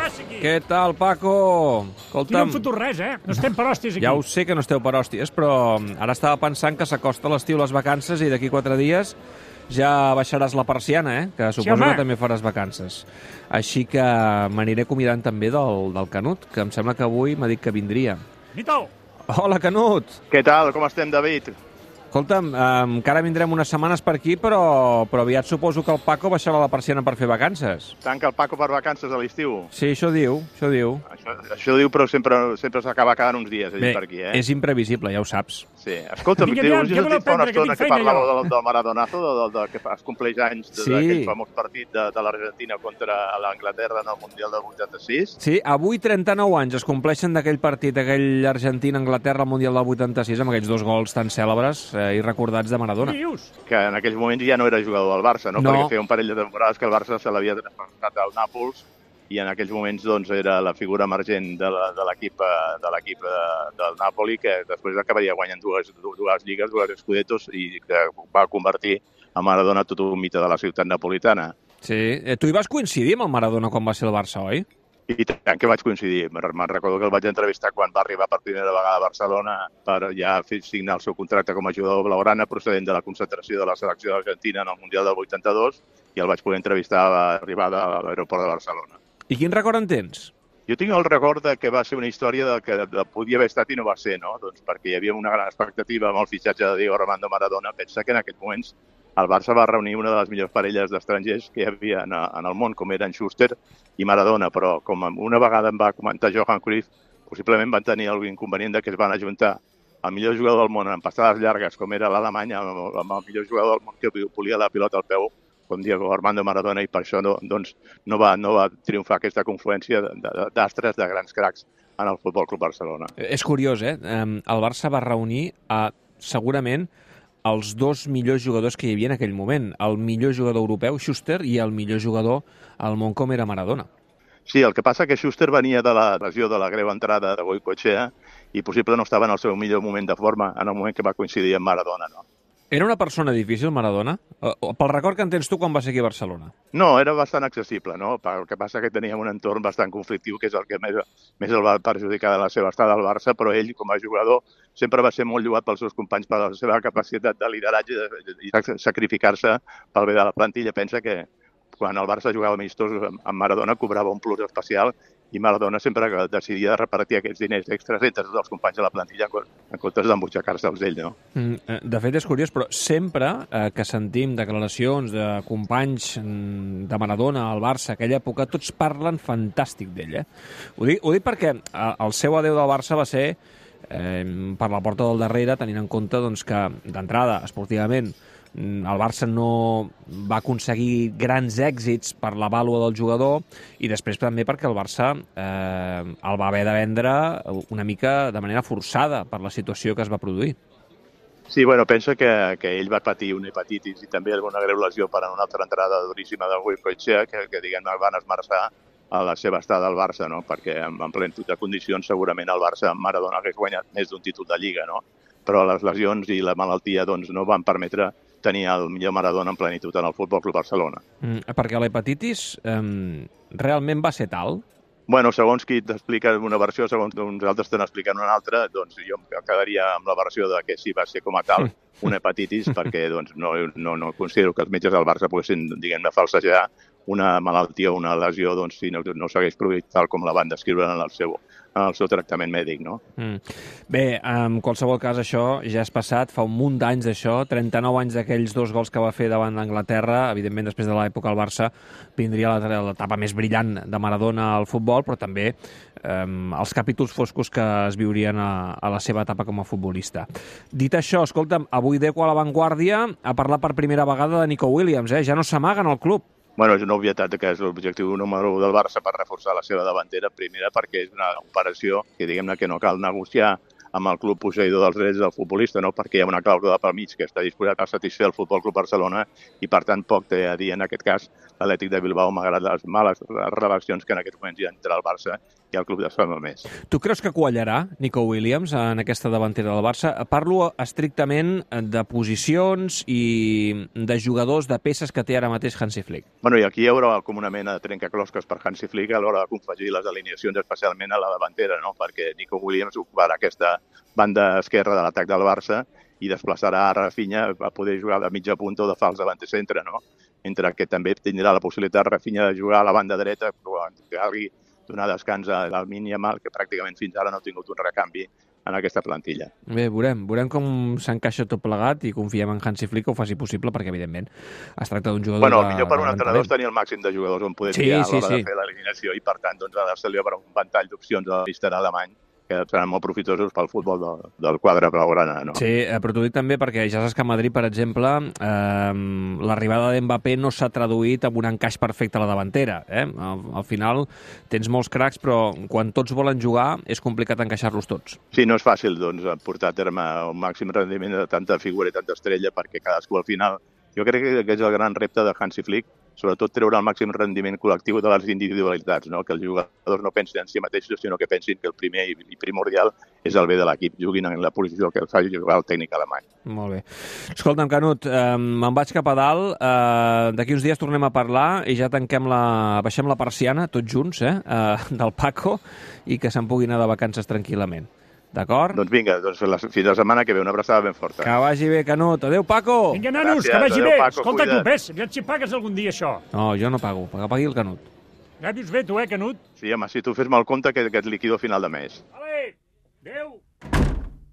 passa aquí? Què tal, Paco? Aquí no hem fotut res, No estem per hòsties aquí. Ja ho sé que no esteu per hòsties, però ara estava pensant que s'acosta l'estiu, les vacances, i d'aquí 4 dies ja baixaràs la persiana, que suposo que també faràs vacances. Així que m'aniré convidant també del Canut, que em sembla que avui m'ha dit que vindria. Nito! Hola, Canut! Què tal? Com estem, David? Escolta'm, encara vindrem unes setmanes per aquí, però aviat suposo que el Paco baixarà la persiana per fer vacances. Tanca el Paco per vacances a l'estiu? Sí, això diu. Això diu, però sempre s'acaba quedant uns dies allà per aquí, És imprevisible, ja ho saps. Sí. Escolta'm, us he sentit fa una estona que parlàveu del Maradonazo, que es compleix anys d'aquell famós partit de l'Argentina contra l'Anglaterra en el Mundial del 86. Sí, avui 39 anys es compleixen d'aquell partit, aquell Argentina-Anglaterra al Mundial del 86, amb aquells 2 gols tan cèlebres i recordats de Maradona. Que en aquells moments ja no era jugador del Barça, no? Perquè feia un parell de temporades que el Barça se l'havia traspassat al Nàpols i en aquells moments era la figura emergent de l'equip del Nàpoli, que després acabaria guanyant dues lligues, 2 Scudettos, i que va convertir a Maradona tot un mite de la ciutat napolitana. Sí. Tu hi vas coincidir amb el Maradona quan va ser el Barça, oi? I tant que vaig coincidir. Me'n recordo que el vaig entrevistar quan va arribar per primera vegada a Barcelona per ja signar el seu contracte com a jugador blaugrana procedent de la concentració de la selecció d'Argentina en el Mundial del 82, i el vaig poder entrevistar a l'arribada a l'aeroport de Barcelona. I quin record en tens? Jo tinc el record que va ser una història que podia haver estat i no va ser, no? Doncs perquè hi havia una gran expectativa amb el fitxatge de Diego Armando Maradona. Pensa que en aquests moments el Barça va reunir una de les millors parelles d'estrangers que hi havia en el món, com eren Schuster i Maradona, però com una vegada em va comentar Johan Cruyff, possiblement van tenir algun inconvenient que es van ajuntar el millor jugador del món en passades llargues, com era l'Alemanya, amb el millor jugador del món que volia la pilota al peu, com Diego Armando Maradona, i per això no va triomfar aquesta confluència d'astres, de grans cracs en el Futbol Club Barcelona. És curiós, el Barça va reunir segurament els 2 millors jugadors que hi havia en aquell moment. El millor jugador europeu, Schuster, i el millor jugador al món, com era Maradona. Sí, el que passa que Schuster venia de la lesió de la greu entrada de Goicoechea i possible no estava en el seu millor moment de forma en el moment que va coincidir amb Maradona, no? Era una persona difícil, Maradona? Pel record que en tens tu quan vas aquí a Barcelona. No, era bastant accessible, no? El que passa que teníem un entorn bastant conflictiu, que és el que més el va perjudicar de la seva estada al Barça, però ell, com a jugador, sempre va ser molt lloat pels seus companys per la seva capacitat de lideratge i sacrificar-se pel bé de la plantilla. Pensa que quan el Barça jugava amistós amb Maradona cobrava un plus especial i Maradona sempre decidia repartir aquests diners extras entre tots els companys de la plantilla en comptes d'embutxacar-se'ls ell, no? De fet, és curiós, però sempre que sentim declaracions de companys de Maradona al Barça, aquella època, tots parlen fantàstic d'ell, Ho dic perquè el seu adeu del Barça va ser per la porta del darrere, tenint en compte que, d'entrada, esportivament, el Barça no va aconseguir grans èxits per la vàlua del jugador i després també perquè el Barça el va haver de vendre una mica de manera forçada per la situació que es va produir. Sí, pensa que ell va patir una hepatitis i també una greu lesió per una altra entrada duríssima del Goicoechea que diguem-ne, van esmerçar a la seva estada al Barça, no? Perquè en plenitud de condicions segurament el Barça amb Maradona hagués guanyat més d'un títol de Lliga, no? Però les lesions i la malaltia no van permetre tenir el millor Maradona en plenitud en el Futbol Club Barcelona. Perquè l'hepatitis realment va ser tal? Segons qui t'explica una versió, segons uns altres te n'expliquen una altra, jo em quedaria amb la versió de que sí va ser com a tal una hepatitis, perquè no considero que els metges del Barça poguessin, diguem-ne, falsejar una malaltia o una lesió si no s'hagués produït tal com la van descriure en el seu tractament mèdic, no? Bé, en qualsevol cas, això ja és passat, fa un munt d'anys d'això, 39 anys d'aquells 2 gols que va fer davant d'Anglaterra, evidentment després de l'època al Barça vindria l'etapa més brillant de Maradona al futbol, però també els capítols foscos que es viurien a la seva etapa com a futbolista. Dit això, escolta'm, avui Deco a l'avantguàrdia ha parlat per primera vegada de Nico Williams, ja no s'amaga en el club. És una obvietat que és l'objectiu número 1 del Barça per reforçar la seva davantera, primera perquè és una operació que diguem-ne que no cal negociar amb el club posseïdor dels drets del futbolista, no? Perquè hi ha una clàusula pel mig que està disposat a satisfer el Futbol Club Barcelona i, per tant, poc té a dir en aquest cas l'Atlètic de Bilbao, malgrat les males relacions que en aquests moments hi ha entre el Barça i el club de més. Tu creus que quallarà Nico Williams en aquesta davantera del Barça? Parlo estrictament de posicions i de jugadors, de peces que té ara mateix Hansi Flick. Bueno, i aquí hi haurà com una mena de trencaclosques per Hansi Flick a l'hora de confegir les alineacions, especialment a la davantera, no? Perquè Nico Williams ocuparà aquesta banda esquerra de l'atac del Barça i desplaçarà a Rafinha a poder jugar de mitja punta o de fals davant centre, no? Mentre que també tindrà la possibilitat Rafinha de jugar a la banda dreta quan calgui donar descans al Lamine Yamal, que pràcticament fins ara no ha tingut un recanvi en aquesta plantilla. Bé, veurem com s'encaixa tot plegat i confiem en Hansi Flick que ho faci possible, perquè evidentment es tracta d'un jugador Bueno, el millor per un entrenador és tenir el màxim de jugadors on poder triar a l'hora de fer l'eliminació i per tant doncs, ha de obre un ventall d'opcions a l'Inter alemany que seran molt profitosos pel futbol del quadre blaugrana, no? Sí, però t'ho dic també perquè ja saps que a Madrid, per exemple, l'arribada d'Mbappé no s'ha traduït en un encaix perfecte a la davantera. Al final tens molts cracs, però quan tots volen jugar és complicat encaixar-los tots. Sí, no és fàcil doncs, portar a terme un màxim rendiment de tanta figura i tanta estrella perquè cadascú al final... Jo crec que és el gran repte de Hansi Flick, sobretot treure el màxim rendiment col·lectiu de les individualitats, no? Que els jugadors no pensin en si mateixos, sinó que pensin que el primer i primordial és el bé de l'equip, juguin en la posició que els faci jugar el tècnic alemany. Molt bé. Escolta'm, Canut, me'n vaig cap a dalt, d'aquí uns dies tornem a parlar i ja baixem la persiana, tots junts, del Paco, i que se'n pugui anar de vacances tranquil·lament. D'acord? Doncs vinga, fins la setmana que ve. Una abraçada ben forta. Que vagi bé, Canut. Adéu, Paco! Vinga, nanos, gràcies, que vagi bé. Paco, Escolta, cuida't. tu, ves, aviam si pagues algun dia això. No, jo no pago. Que pagui el Canut. Ja dius bé, tu, Canut? Sí, home, si tu fes mal compte que et liquido a final de mes. Vale, adéu.